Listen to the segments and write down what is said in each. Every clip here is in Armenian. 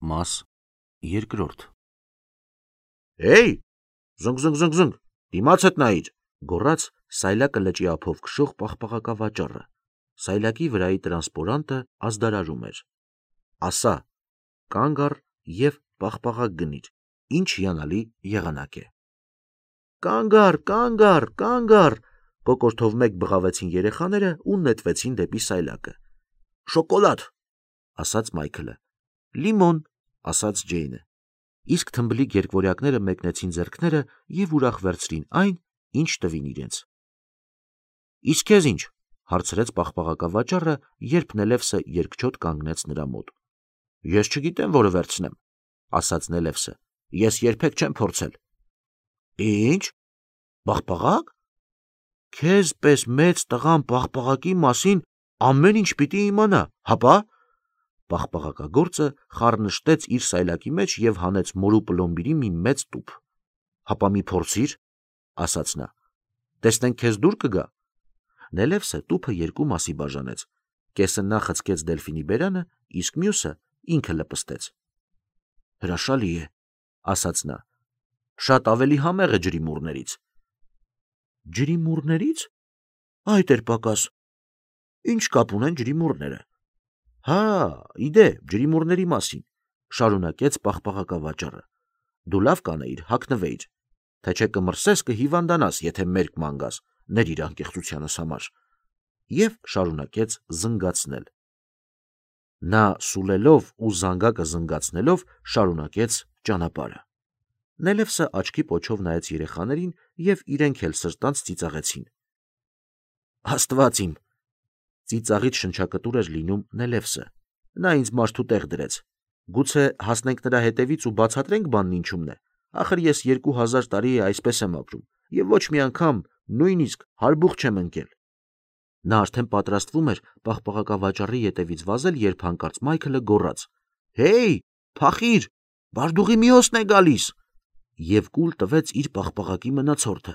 Մաս երկրորդ Էй, զնգ, դիմաց հետ նայիր, գոռաց Սայլակը լճի ափով քշող պաղպաղակավաճառը։ Սայլակի վրայի տրանսպորանտը ազդարարում էր։ Ասա, կանգ առ և պաղպաղակ գնիր, ինչ հիանալի եղանակ է։ Կանգ առ, կոկորդով մեկ բղավեցին երեխաները ու նետվեցին դեպի Սայլակը։ Շոկոլադ, ասաց Մայքլը։ Լիմոն, ասաց Ջեյնը։ Իսկ թմբլիկ երկվորյակները մեկնեցին ձեռքները և ուրախ վերցրին այն, ինչ տվին իրենց։ Իսկ քեզ ինչ, հարցրեց պաղպաղակավաճառը, երբ Նելևսը երկչոտ կանգնեց նրա մոտ։ Ես չգիտեմ, որը վերցնեմ, ասաց Նելևսը։ Ես երբեք չեմ փորձել։ Ինչ, պաղպաղակ։ Քեզ պես մեծ տղան պաղպաղակի մասին ամեն ինչ պիտի իմանա, հապա։ Պաղպաղակագործը խառնշտեց իր սայլակի մեջ և հանեց մորու պլոմբիրի մի մեծ տուփ։ Հապա մի փորձիր, ասաց նա։ Տեսնենք քեզ դուր կգա։ Նելևսը տուփը երկու մասի բաժանեց։ Կեսը նա խցկեց Դելֆինի բերանը, իսկ մյուսը ինքը լպստեց։ Հրաշալի է, ասաց նա։ Շատ ավելի համեղ է ջրիմուռներից։ Ջրիմուռներից։ Այդ էր պակաս։ Ինչ կապ ունեն ջրիմուռները։ Հա, իդեպ, ջրիմուռների մասին, շարունակեց պաղպաղակավաճառը։ Դու լավ կանեիր, հագնվեիր, թե չէ կմրսես, կհիվանդանաս, եթե մերկ ման գաս, ներիր անկեղծությանս համար։ Եվ շարունակեց զնգացնել։ Նա սուլելով ու զանգակը զնգացնելով շարունակեց ճանապարհը։ Նելևսը աչքի պոչով նայեց երեխաներին և իրենք էլ սրտանց ծիծաղեցին։ Աստված իմ, ծիծաղից շնչակտուր էր լինում Նելևսը։ Նա ինձ մարդու տեղ դրեց։ Գուցե հասնենք նրա հետևից ու բացատրենք բանն ինչումն է։ Ախր ես 2000 տարի է այսպես եմ ապրում և ոչ մի անգամ նույնիսկ հարբուխ չեմ ընկել։ Նա արդեն պատրաստվում էր պաղպաղակավաճառի ետևից վազել, երբ հանկարծ Մայքլը գոռաց. Հեյ, փախիր, բարդուղի միոսն է գալիս, և կուլ տվեց իր պաղպաղակի մնացորդը։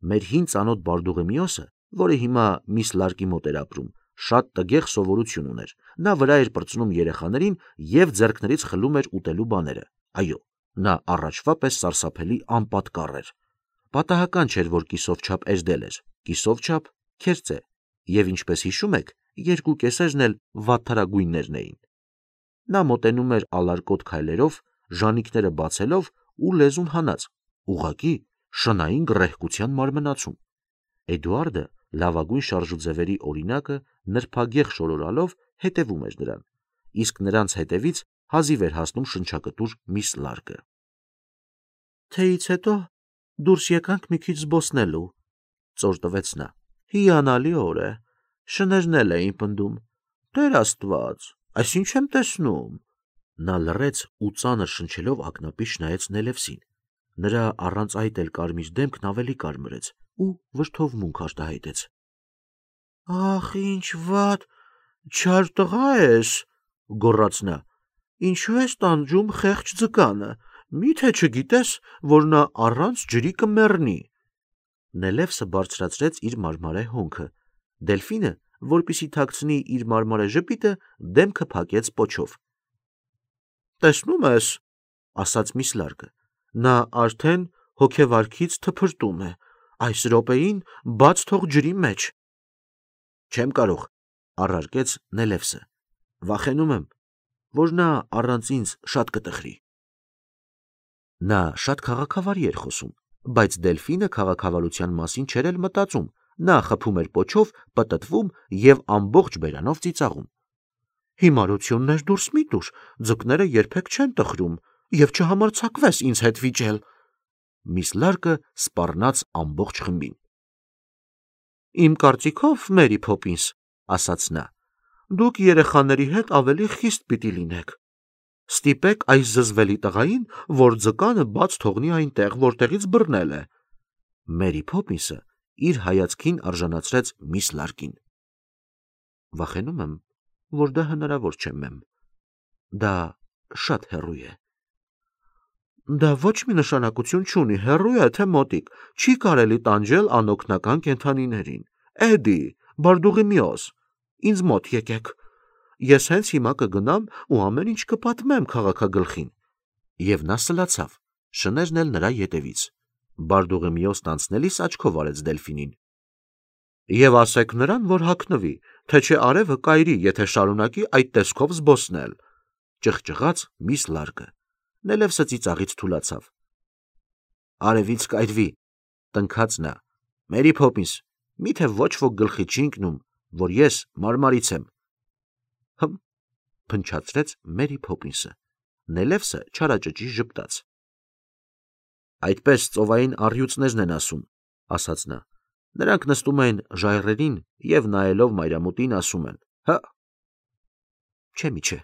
Մեր հին ծանոթ բարդուղի միոսը, որը հիմա միս Լարկի մոտ էր ապրում, շատ տգեղ սովորություն ուներ։ Նա վրա էր պրծնում երեխաներին և ձեռքներից խլում էր ուտելու բաները։ Այո, նա առաջվա պես սարսափելի անպատկառ էր։ Պատահական չէր, որ կիսով չափ էժդել էր, կիսով չափ քերծե, և ինչպես հիշում եք, երկու կեսերն էլ վատթարագույններն էին։ Նա մոտենում էր ալարկոտ քայլերով, ժանիքները բացելով ու լեզուն հանած, ուղղակի շնային գռեհկության մարմնացում։ Էդուարդը, լավագույն շարժուձևերի օրինակը, նրբագեղ շորորալով հետևում էր նրան, իսկ նրանց հետևից հազիվ էր հասնում շնչակտուր միս Լարկը։ Թեյից հետո դուրս եկանք մի քիչ զբոսնելու, ծոր տվեց նա։ Հիանալի օր է, շներն էլ էին պնդում։ Տեր Աստված, այս ինչ եմ տեսնում։ Նա լռեց ու ծանր շնչելով ակնապիշ նայեց Նելևսին։ Նրա առանց այդ էլ կարմիր դեմքն ավելի կարմրեց ու վրդովմունք արտահայտեց։ Ախ, ինչ վատ, չար տղա ես, գոռաց նա։ Ինչու ես տանջում խեղճ ձկանը, միթե չգիտես, որ նա առանց ջրի կմեռնի։ Նելևսը բարձրացրեց իր մարմարե հոնքը։ Դելֆինը, որպեսզի թաքցնի իր մարմարե ժպիտը, դեմքը փակեց պոչով։ Տեսնում ես, ասաց միս Լարկը, նա արդեն հոգեվարքից թփրտում է, այս րոպեին բաց թող ջրի մեջ։ Չեմ կարող, առարկեց Նելևսը։ Վախենում եմ, որ նա առանց ինձ շատ կտխրի։ Նա շատ քաղաքավարի էր խոսում, բայց Դելֆինը քաղաքավարության մասին չէր էլ մտածում, նա խփում էր պոչով, պտտվում և ամբողջ բերանով ծիծաղում։ Հիմարություններ դուրս մի տուր, ձկները երբեք չեն տխրում, և չհամարձակվես ինձ հետ վիճել։ Միս Լարկը սպառնաց ամբողջ խմբին։ Իմ կարծիքով, Մերի Փոփինս, ասաց նա, դուք երեխաների հետ ավելի խիստ պիտի լինեք։ Ստիպեք այս զզվելի տղային, որ ձկանը բաց թողնի այնտեղ, որտեղից բռնել է։ Մերի Փոփինսը իր հայացքին արժանացրեց միս Լարկին։ Վախենում եմ, որ դա հնարավոր չէ, մեմ։ Դա շատ հեռու է։ Դա ոչ մի նշանակություն չունի, հեռու է թե մոտիկ, չի կարելի տանջել անօգնական կենդանիներին։ Էդի, բարդուղի միոս, ինձ մոտ եկեք։ ես հենց հիմա կգնամ ու ամեն ինչ կպատմեմ քաղաքագլխին։ Եվ նա սլացավ, շներն էլ նրա ետևից։ Բարդուղիմեոս անցնելիս աչքով արեց Դելֆինին։ Եվ ասեք նրան, որ հագնվի, թե չէ արևը կայրի, եթե շարունակի այդ տեսքով զբոսնել, ճղճղաց միս Լարկը։ Նելևսը ծիծաղից թուլացավ։ Արևից կայրվի, տնքաց նա։ Մերի Փոփինս, միթե ոչ ոք գլխի չի ընկնում, որ ես մարմարից եմ։ Հմ, փնչացրեց Մերի Փոփինսը։ Նելևսը չարաճճի ժպտաց։ Այդպես ծովային առյուծներն են ասում, ասաց նա։ Նրանք նստում են ժայռերին և նայելով մայրամուտին ասում են. հա։ Չէ միչե,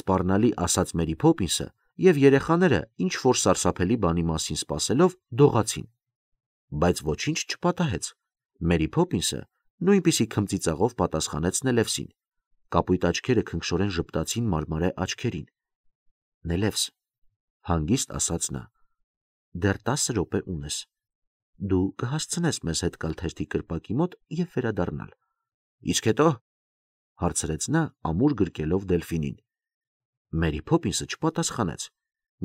սպառնալի ասաց Մերի Փոփինսը, և երեխաները ինչ որ սարսափելի բանի մասին սպասելով դողացին։ Բայց ոչինչ չպատահեց։ Մերի Փոփինսը նույնպիսի քմծիծաղով պատասխանեց Նելևսին։ Կապույտ աչքերը քնքշորեն ժպտացին մարմարե աչքերին։ Նելևս, հանգիստ ասաց նա, դեռ 10 րոպե ունես։ Դու կհասցնես մեզ հետ գալ թերթի կրպակի մոտ և վերադառնալ։ Իսկ հետո, հարցրեց նա ամուր գրկելով Դելֆինին։ Մերի Փոփինսը չպատասխանեց,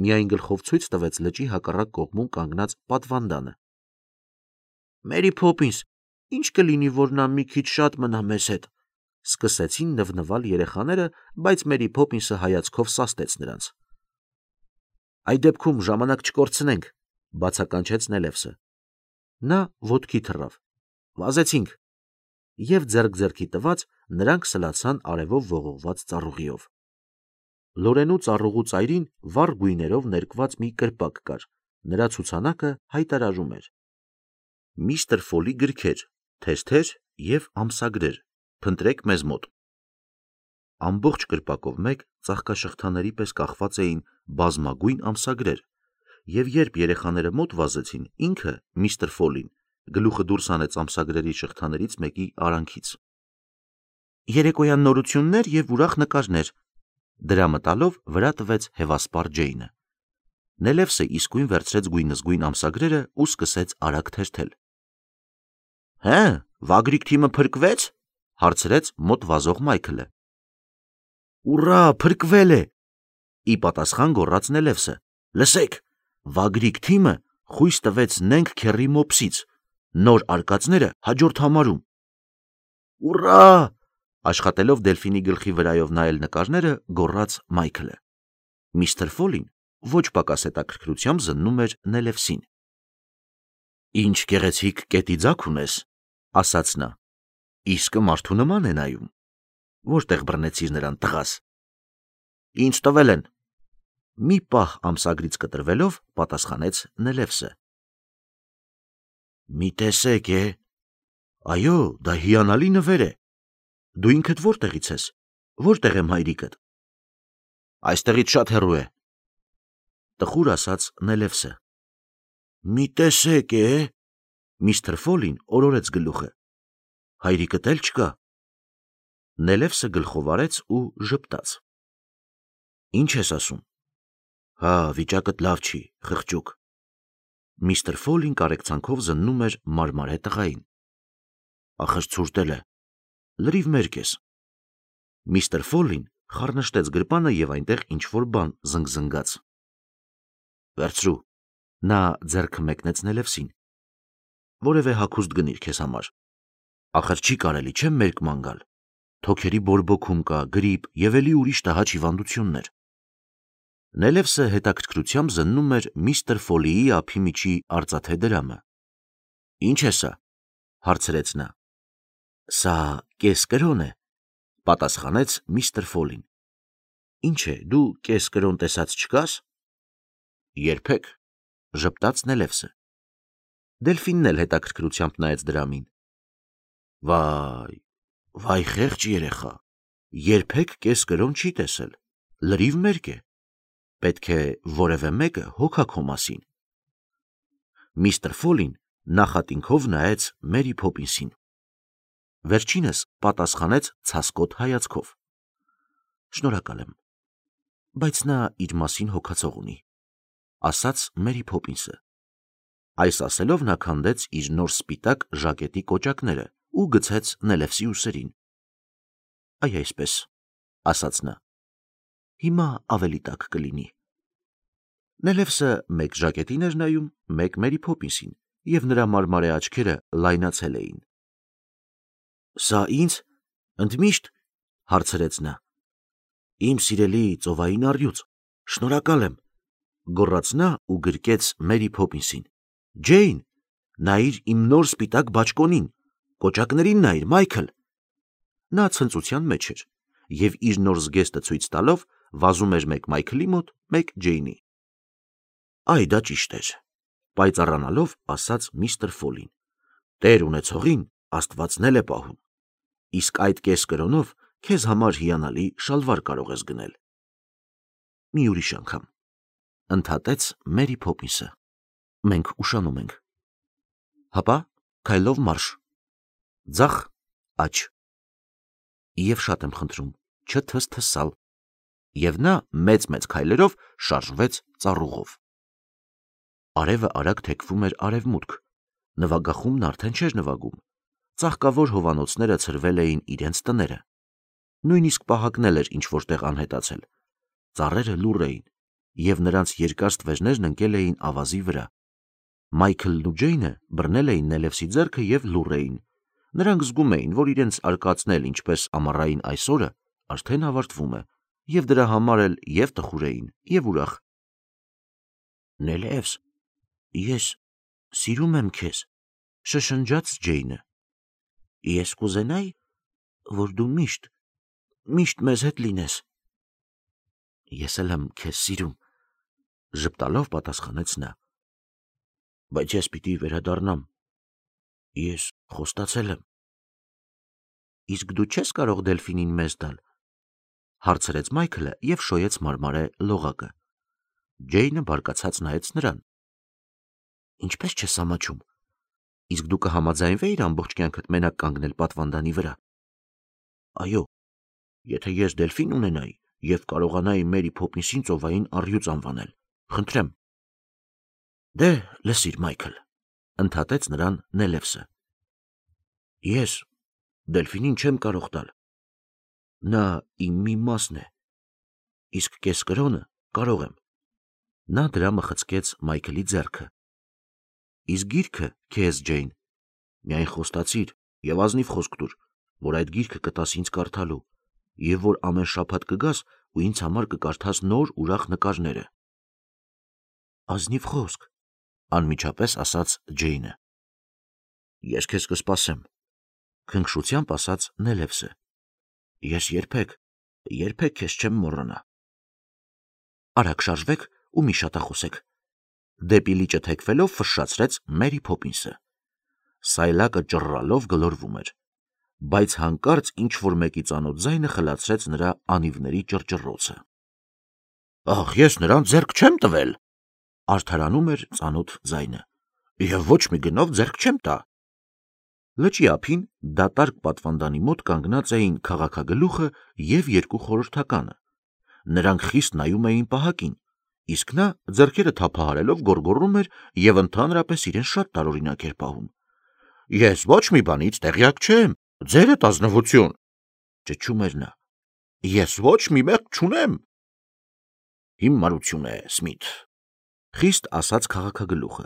միայն գլխով ցույց տվեց լճի հակառակ կողմում կանգնած պատվանդանը։ Մերի Փոփինս, ինչ կլինի, որ նա մի քիչ շատ մնա մեզ հետ, սկսեցին նվնվալ երեխաները, բայց Մերի Փոփինսը հայացքով սաստեց նրանց։ Այդ դեպքում ժամանակ չկորցնենք, բացականչեց Նելևսը։ Նա ոտքի թռավ։ Վազեցինք։ Եվ ձեռք-ձեռքի տված նրանք սլացան արևով ողողված ծառուղիով։ Լորենու ծառուղու ծայրին վառ գույներով ներկված մի կրպակ կար, նրա ցուցանակը հայտարարում էր. Միստր Ֆոլի գրքեր, թեթեր և ամսագրեր, փնտրեք մեզ մոտ։ Ամբողջ կրպակով մեկ ծաղկաշղթաների պես կախված էին բազմագույն ամսագրեր, և երբ երեխաները մոտ վազեցին, ինքը, միստր Ֆոլին, գլուխը դուրս հանեց ամսագրերի շղթաներից մեկի արանքից։ Երեկոյան նորություններ և ուրախ նկարներ, դրա մտալով վրա տվեց հևասպառ Ջեյնը։ Նելևսը իսկույն վերցրեց գույնզգույն ամսագրերը ու սկսեց արագ թերթել։ Հե, Վագրիկ թիմը փրկվեց, հարցրեց մոտ վազող Մայքլը։ Ուռա, փրկվել է, ի պատասխան գոռաց Նելևսը։ Լսեք, Վագրիկ թիմը խույս տվեց Նենք Քեռի Մոփսից, նոր արկածները հաջորդ համարում։ Ուռա, աշխատելով Դելֆինի գլխի վրայով նայել նկարները, գոռաց Մայքլը։ Միստր Ֆոլին ոչ պակաս հետաքրքրությամբ զննում էր Նելևսին։ Ինչ գեղեցիկ կետի ձագ ունես, ասաց նա։ Իսկը մարդու նման է նայում։ Որտեղ բռնեցիր նրան, տղաս։ Ինձ տվել են։ Մի պահ ամսագրից կտրվելով պատասխանեց Նելևսը։ Մի տեսեք է։ Այո, դա հիանալի նվեր է։ Դու ինքդ որտեղից ես։ Որտեղ եմ հայրիկդ։ Այստեղից շատ հեռու է, տխուր ասաց Նելևսը։ Մի տեսեք է։ Միստր Ֆոլին օրորեց գլուխը։ Հայրիկդ էլ չկա։ Նելևսը գլխով արեց ու ժպտաց։ Ինչ ես ասում։ Հա, վիճակդ լավ չի, խղճուկ։ Միստր Ֆոլին կարեկցանքով զննում էր մարմարե տղային։ Ախր ցուրտել է։ Լրիվ մերկ ես։ Միստր Ֆոլին խառնշտեց գրպանը և այնտեղ ինչ-որ բան զնգզնգաց։ Վերցրու։ Նա ձեռքը մեկնեց Նելևսին։ Որևէ հագուստ գնիր քեզ համար։ Ախր չի կարելի, չէ՞ մերկման գալ։ Թոքերի բորբոքում կա, գրիպ և էլի ուրիշ տհաճ հիվանդություններ։ Նելևսը հետաքրքրությամբ զննում էր միստր Ֆոլիի ափի միջի արծաթե դրամը։ Ինչ է սա, հարցրեց նա։ Սա կես կրոն է, պատասխանեց միստր Ֆոլին։ Ինչ է, դու կես կրոն տեսած չկաս։ Երբեք, ժպտաց Նելևսը։ Դելֆինն էլ հետաքրքրությամբ նայեց դրամին։ Վայ, խեղճ երեխա, երբեք կես կրոն չի տեսել, լրիվ մերկ է։ Պետք է որևէ մեկը հոգա քո մասին։ Միստր Ֆոլին նախատինքով նայեց Մերի Փոփինսին։ Վերջինս պատասխանեց ցասկոտ հայացքով։ Շնորհակալ եմ, բայց նա իր մասին հոգացող ունի, ասաց Մերի Փոփինսը։ Այս ասելով նա քանդեց իր նոր սպիտակ ժակետի կոճակները ու գցեց Նելևսի ուսերին։ Այ այսպես, ասաց նա։ Հիմա ավելի տաք կլինի։ Նելևսը մեկ ժակետին էր նայում, մեկ Մերի Փոփինսին, եւ նրա մարմարե աչքերը լայնացել էին։ Սա ինձ ընդմիշտ, հարցրեց նա։ Իմ սիրելի ծովային առյուծ, շնորհակալ եմ, գոռաց նա ու գրկեց Մերի Փոփինսին։ Ջեյն, նայիր իմ նոր սպիտակ բաճկոնին, կոճակներին նայիր, Մայքլ։ Նա ցնծության մեջ էր եւ իր նոր զգեստը ցույց տալով վազում էր մեկ Մայքլի մոտ, մեկ Ջեյնի։ Այ դա ճիշտ էր, պայծառանալով ասաց միստր Ֆոլին։ Տեր ունեցողին Աստվածն է պահում։ Իսկ այդ կես կրոնով քեզ համար հիանալի շալվար կարող ես գնել։ Մի ուրիշ անգամ, ընդհատեց Մերի Փոփինսը։ Մենք ուշանում ենք։ Հապա, քայլով մարշ։ Ձախ, աջ։ Եվ շատ եմ խնդրում, չթսթսալ։ Եվ նա մեծ քայլերով շարժվեց ծառուղով։ Արևը արագ թեքվում էր արևմուտք, նվագախումն արդեն չէր նվագում, ծաղկավոր հովանոցները ցրվել էին իրենց տները, նույնիսկ պահակն էր ինչ-որտեղ անհետացել, ծառերը լուռ էին, և նրանց երկար ստվերներն ընկել էին ավազի վրա։ Մայքլն ու Ջեյնը բռնել էին Նելևսի ձեռքը և լուռ էին, նրանք զգում էին, որ իրենց արկածն էլ ինչպես ամառային այս օրը արդեն ավարտվում է, և դրա համար էլ և տխուր էին, և ուրախ։ Նելևս, ես սիրում եմ քեզ, շշնջաց Ջեյնը։ Ես կուզենայի, որ դու միշտ մեզ հետ լինես։ Ես էլ եմ քեզ սիրում, ժպտալով պատասխանեց նա։ Բայց ես պիտի վերադառնամ։ Ես խոստացել եմ։ Իսկ դու չես կարող Դելֆինին մեզ տալ, հարցրեց Մայքլը և շոյեց մարմարե լողակը։ Ջեյնը բարկացած նայեց նրան։ Ինչպես չես ամաչում։ Իսկ դու կհամաձայնվեիր ամբողջ կյանքդ մենակ կանգնել պատվանդանի վրա։ Այո, եթե ես Դելֆին ունենայի և կարողանայի Մերի Փոփինսին ծովային առյուծ անվանել, խնդրեմ։ Դե, լսիր, Մայքլ, ընդհատեց նրան Նելևսը։ Ես Դելֆինին չեմ կարող տալ։ Նա իմ մի մասն է, իսկ կես կրոնը կարող եմ։ Նա դրա մխցկեց Մայքլի ձեռքը։ Իսկ գիրքը քեզ, Ջեյն, միայն խոստացիր և ազնիվ խոսք տուր, որ այդ գիրքը կտաս ինձ կարդալու, և որ ամեն շաբաթ կգաս ու ինձ համար կկարդաս նոր ուրախ նկարները։ Ազնիվ խոսք, անմիջապես ասաց Ջեյնը։ Ես քեզ կսպասեմ, քնքշությամբ ասաց Նելևսը։ Ես երբեք քեզ չեմ մոռանա։ Արագ շարժվեք ու մի շատախոսեք։ Դեպի լիճը թեքվելով ֆշշացրեց Մերի Փոփինսը։ Սայլակը ճռռալով գլորվում էր, բայց հանկարծ ինչ-որ մեկի ծանոթ ձայնը խլացրեց նրա անիվների ճռճռոցը։ Ախ, ես նրան ձեռք չեմ տվել, արդարանում էր ծանոթ ձայնը, և ոչ մի գնով ձեռք չեմ տա։ Լճի ափին դատարկ պատվանդանի մոտ կանգնած էին քաղաքագլուխը և երկու խորհրդականը։ Նրանք խիստ նայում էին պահակին, իսկ նա ձեռքերը թափահարելով գոռգոռում էր և ընդհանրապես իրեն շատ տարօրինակ էր պահում։ Ես ոչ մի բանից տեղյակ չեմ, ձերդ ազնվություն, ճչում էր նա։ Ես ոչ մի մեղք չունեմ։ Հիմարություն է, Սմիթ, խիստ ասաց քաղաքագլուխը։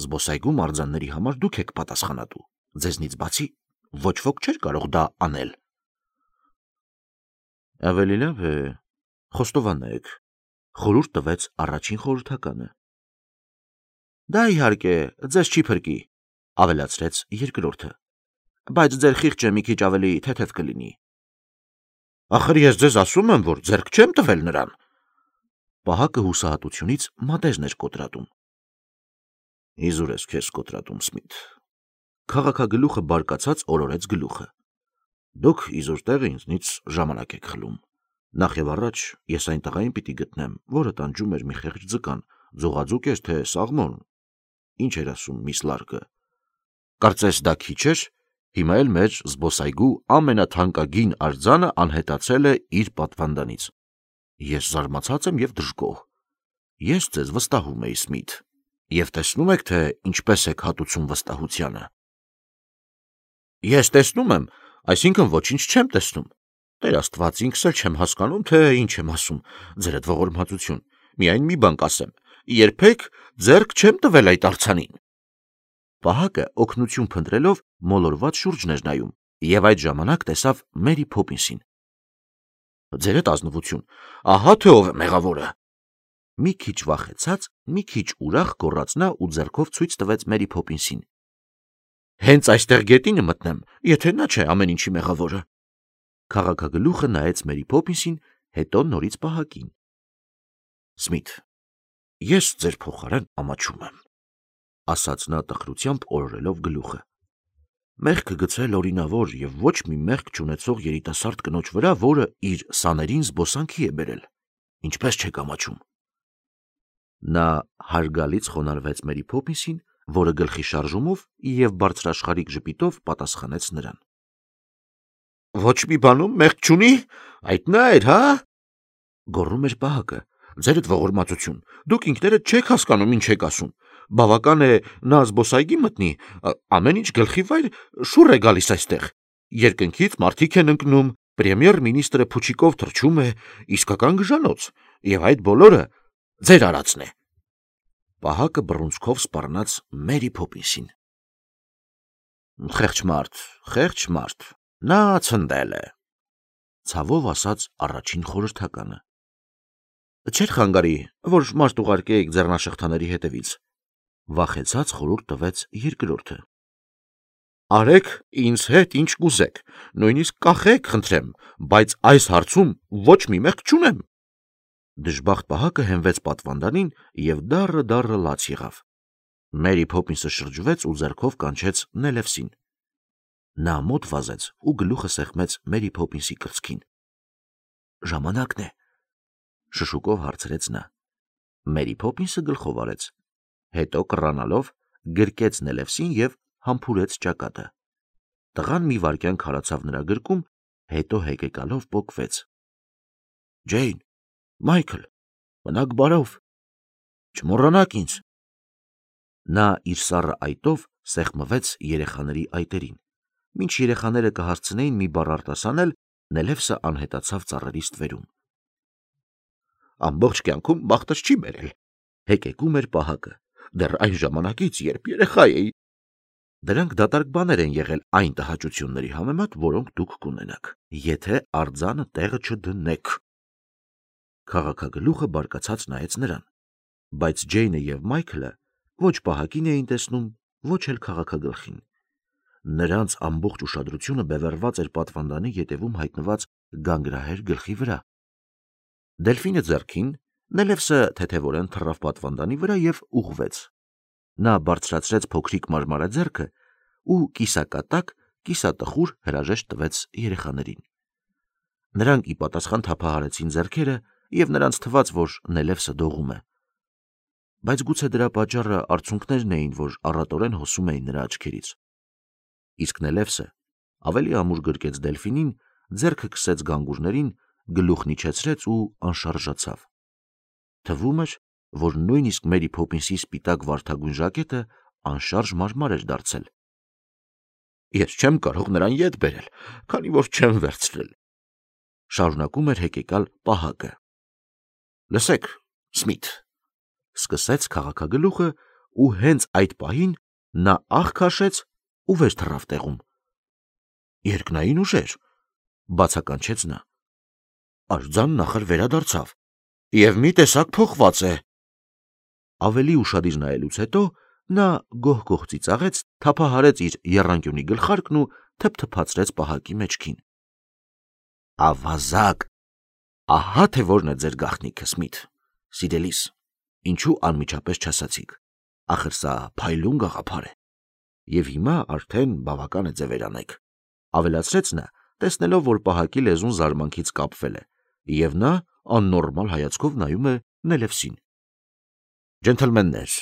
Զբոսայգու մարզանների համար դուք եք պատասխանատու, ձեզնից բացի ոչ ոք չէր կարող դա անել։ Ավելի լավ է, խոստովանեք, խորհուրդ տվեց առաջին խորհրդականը։ Դա իհարկե ձեզ չի փրկի, ավելացրեց երկրորդը, բայց ձեր խիղճը մի քիչ ավելի թեթև կլինի։ Ախր ես ձեզ ասում եմ, որ ձեռք չեմ տվել նրան։ Պահակը հուսահատությունից մատեզն էր կոտրատում։ Իզուր ես քեզ կոտրատում, Սմիթ։ Քաղաքագլուխը բարկացած օրորեց գլուխը։ Դուք իզուր տեղը ինձնից ժամանակ եք խլում։ Նախ եւ առաջ ես այն տղային պիտի գտնեմ, որը տանջում էր մի խեղճ ձկան, ձողաձուկ էր թե սաղմոն։ Ինչ էր ասում միս Լարկը։ Կարծես դա քիչ էր, հիմա էլ մեր զբոսայգու ամենաթանկագին արձանը անհետացել է իր պատվանդանից։ Ես զարմացած եմ և դժգոհ։ Ես ձեզ վստահում էի, Սմիթ, և տեսնում եք, թե ինչպես եք հատուցում վստահությանը։ Ես տեսնում եմ, այսինքն ոչինչ չեմ տեսնում։ Տեր Աստված, ինքս էլ չեմ հասկանում, թե ինչ եմ ասում, ձերդ ողորմածություն, միայն մի բան կասեմ, երբեք ձեռք չեմ տվել այդ արձանին։ Պահակը օգնություն փնտրելով մոլորված շուրջն էր նայում եւ այդ ժամանակ տեսավ Մերի Փոփինսին։ Ձերդ ազնվություն, ահա թե ով է մեղավորը։ Մի քիչ վախեցած, մի քիչ ուրախ գոռաց նա ու ձեռքով ցույց տվեց Մերի Փոփինսին։ Հենց այստեղ գետինը մտնեմ, եթե նա չէ ամեն ինչի մեղավորը։ Քաղաքագլուխը նայեց Մերի Փոփինսին, հետո նորից Պահակին։ Սմիթ, ես ձեր փոխարեն ամաչում եմ, ասաց նա տխրությամբ օրորելով գլուխը։ Մեղքը գցել օրինավոր եւ ոչ մի մեղք չունեցող երիտասարդ կնոջ վրա, որը իր սաներին զբոսանքի է բերել։ Ինչպես չեք ամաչում։ Նա հարգալից խոնարհվեց Մերի Փոփինսին, որը գլխի շարժումով եւ բարձրաշխարհիկ ժպիտով պատասխանեց նրան։ Ոչ մի բանում մեղք չունի, այդ նա էր, հա? Գոռում էր Պահակը։ Ձերդ ողորմածություն, դուք ինքներդ չեք հասկանում ինչ եք ասում։ Բավական է նա զբոսայգի մտնի, ամեն ինչ գլխի վայր շուռ է գալիս այստեղ։ Երկնքից մարդիկ են ընկնում, պրեմիեր մինիստրը փուչիկով թռչում է, իսկական գժանոց, եւ այդ բոլորը ձեր արածն է։ Պահակը բռունցքով սպառնաց Մերի Փոփինսին։ Խեղճ մարդ, նա ցնդել է, ցավով ասաց առաջին խորհրդականը։ Չէր խանգարի, որ մարդ ուղարկեիք ձեռնաշղթաների հետևից, վախեցած խորհուրդ տվեց երկրորդը։ Արեք ինձ հետ ինչ կուզեք, նույնիսկ կախեք, խնդրեմ, բայց այս հարցում ոչ մի մեղք չունեմ։ Դժբախտ Պահակը հենվեց պատվանդանին եւ դառը լաց եղավ։ Մերի Փոփինսը շրջվեց ու ձեռքով կանչեց Նելևսին։ Նա մոտ վազեց ու գլուխը սեղմեց Մերի Փոփինսի կրծքին։ Ժամանակն է, շշուկով հարցրեց նա։ Մերի Փոփինսը գլխով արեց, հետո կռանալով գրկեց Նելևսին եւ համբուրեց ճակատը։ Տղան մի վայրկյան քարացավ նրա գրկում, հետո հեկեկալով պոկվեց։ Ջեյն, Մայքլ, մնաք բարով, չմոռանաք ինձ։ Նա իր սառը այտով սեղմվեց երեխաների այտերին։ Մինչ երեխաները կհասցնեին մի բառ արտասանել, Նելևսը անհետացավ ծառերի ստվերում։ Ամբողջ կյանքում բախտս չի բերել, հեկեկում էր Պահակը, դեռ այն ժամանակից, երբ երեխա էի։ Դրանք դատարկ բաներ են եղել այն տհաճությունների համեմատ, որոնք դուք կունենաք, եթե արձանը տեղը չդնեք։ Քաղաքագլուխը բարկացած նայեց նրան, բայց Ջեյնը եւ Մայքլը ոչ Պահակին էին տեսնում, ոչ էլ քաղաքագլխին։ Նրանց ամբողջ ուշադրությունը բևեռված էր պատվանդանի ետևում հայտնված գանգրահեր գլխի վրա։ Դելֆինը ձեռքին, Նելևսը թեթևորեն թռավ պատվանդանի վրա եւ ուղղվեց։ Նա բարձրացրեց փոքրիկ մարմարաձեռքը ու կիսակատակ, կիսատխուր հրաժեշտ տվեց երեխաներին։ Նրանք ի պատասխան թափահարեցին ձեռքերը եւ նրանց թվաց, որ Նելևսը դողում է։ Բայց գուցե դրա պատճառը արցունքներն էին, որ առատորեն հոսում էին նրա աչքերից։ Իսկ Նելևսը ավելի ամուր գրկեց Դելֆինին, ձեռքը քսեց գանգուրներին, գլուխն իջեցրեց ու անշարժացավ։ Թվում էր, որ նույնիսկ Մերի Փոփինսի սպիտակ վարդագույն ժակետը անշարժ մարմար էր դարձել։ Ես չեմ կարող նրան ետ բերել, քանի որ չեմ վերցրել, շարունակում էր հեկեկալ Պահակը։ Լսեք, Սմիթ, սկսեց քաղաքագլուխը ու հենց այդ պահին նա աղ քաշեց ու վեր թռավ տեղում։ Երկնային ուժեր, բացականչեց նա։ Արձանն նախր վերադարձավ եւ մի տեսակ փոխված է։ Ավելի ուշադիր նայելուց հետո նա գոհ-գոհ ծիծաղեց, թափահարեց իր եռանկյունի գլխարկն ու թփթփացրեց Պահակի մեջքին։ Ավազակ, ահա թե որն է ձեր գաղտնիքը, Սմիթ, սիրելիս, ինչու անմիջապես չասացիք, ախր սա փայլուն գաղափար է։ Եվ հիմա արդեն բավական է ձևեր անեք, ավելացրեց նա, տեսնելով, որ Պահակի լեզուն զարմանքից կապվել է, եւ նա աննորմալ հայացքով նայում է Նելևսին։ Ջենթլմեններ,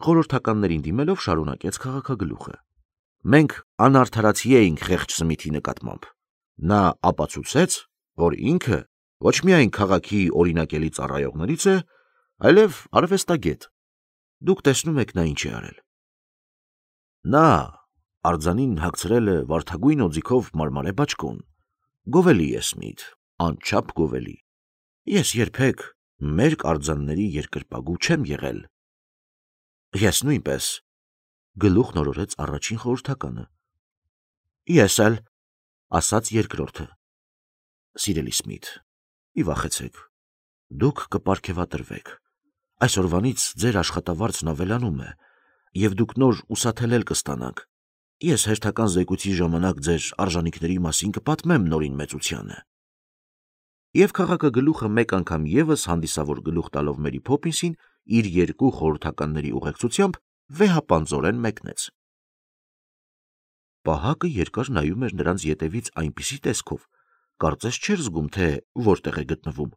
խորհրդականներին դիմելով շարունակեց քաղաքագլուխը։ Մենք անարդարացի էինք խեղճ Սմիթի նկատմամբ։ Նա ապացուցեց, որ ինքը ոչ միայն քաղաքի օրինակելի ծառայողներից է, այլև արվեստագետ։ Դուք տեսնում եք նա ինչ է արել։ Նա արձանին հագցրել է վարդագույն օձիքով մարմարե բաճկոն, Գովելի ես Սմիթ, անչափ գովելի։ Ես երբեք մեր արձանների երկրպագու չեմ եղել։ Ես նույնպես, գլուխ նորորեց առաջին խորհրդականը։ Ես էլ, ասաց երկրորդը։ Սիրելի Սմիթ, մի վախեցեք, դուք կպարգևատրվեք։ Այսօրվանից ձեր աշխատավարձն ավելանում է, եւ դուք նոր ուսաթելել կստանաք։ Ես հերթական զեկույցի ժամանակ ձեր արժանինքների մասին կպատմեմ նորին մեծությանը։ Եվ քաղաքագլուխը մեկ անգամ եւս հանդիսավոր գլուխ տալով Մերի Փոփինսին իր երկու խորհրդականների ուղեկցությամբ վեհապանծորեն մեկնեց։ Պահակը երկար նայում էր նրանց ետևից այնպիսի տեսքով, կարծես չէր զգում, թե որտեղ է գտնվում։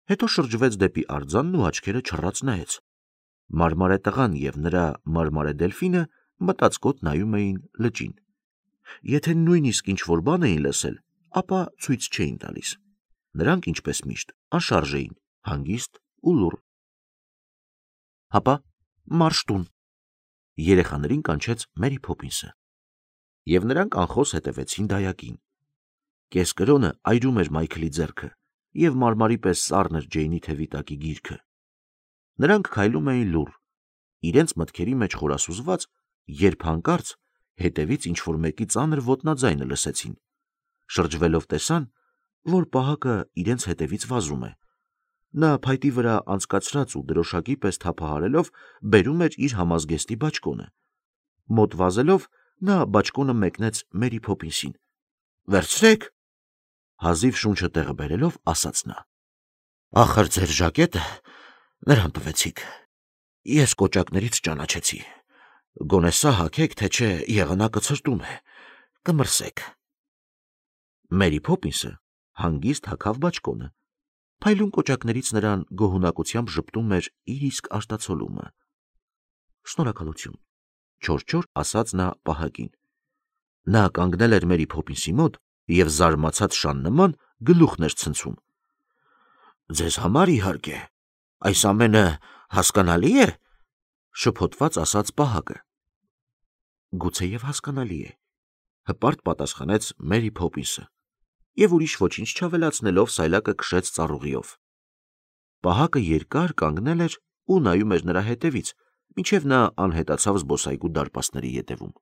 Հետո շրջվեց դեպի արձանն ու աչքերը չռած նայեց։ Մարմարե տղան եւ նրա մարմարե դելֆինը մտածկոտ նայում էին լճին։ Եթե նույնիսկ ինչ-որ բան էին լսել, ապա ցույց չէին տալիս։ Նրանք, ինչպես միշտ, անշարժ էին, հանգիստ ու լուռ։ Հապա մարշ տուն, երեխաներին կանչեց Մերի Փոփինսը։ Եվ նրանք անխոս հետևեցին դայակին։ Կեսկրոնը այրում էր Մայքլի ձեռքը, եւ մարմարի պես սառն էր Ջեյնի թևի տակի գիրքը։ Նրանք քայլում էին լուռ, իրենց մտքերի մեջ խորասուզված, երբ հանկարծ հետևից ինչ-որ մեկի ծանր ոտնաձայնը լսեցին։ Շրջվելով տեսան, որ պահակը իրենց հետևից վազում է։ Նա փայտի վրա անցկացրած ու դրոշակի պես թափահարելով բերում էր իր համազգեստի բաճկոնը։ Մոտ վազելով նա բաճկոնը մեկնեց Մերի Փոփինսին։ Վերցրեք, հազիվ շունչը տեղը բերելով ասաց նա։ Ախր ձեր ժակետը նրան տվեցիք։ Ես կոճակներից ճանաչեցի։ Գոնե սա հագեք, թե չէ եղանակը ցրտում է, կմրսեք։ Մերի Փոփինսը հանգիստ հագավ բաճկոնը։ Փայլուն կոճակներից նրան գոհունակությամբ ժպտում էր իր իսկ արտացոլումը։ Շնորհակալություն, չոր ասաց նա պահակին։ Նա կանգնել էր Մերի Փոփինսի մոտ եւ զարմացած շան նման գլուխն էր ցնցում։ Ձեզ համար իհարկե, այս ամենը հասկանալի է, շփոթված ասաց պահակը։ Գուցեև հասկանալի է, հպարտ պատասխանեց Մերի Փոփինսը եւ ուրիշ ոչինչ չավելացնելով սայլակը քշեց ծառուղիով։ Պահակը երկար կանգնել էր ու նայում էր նրա հետևից, մինչև նա անհետացավ զբոսայգու դարպասների ետևում։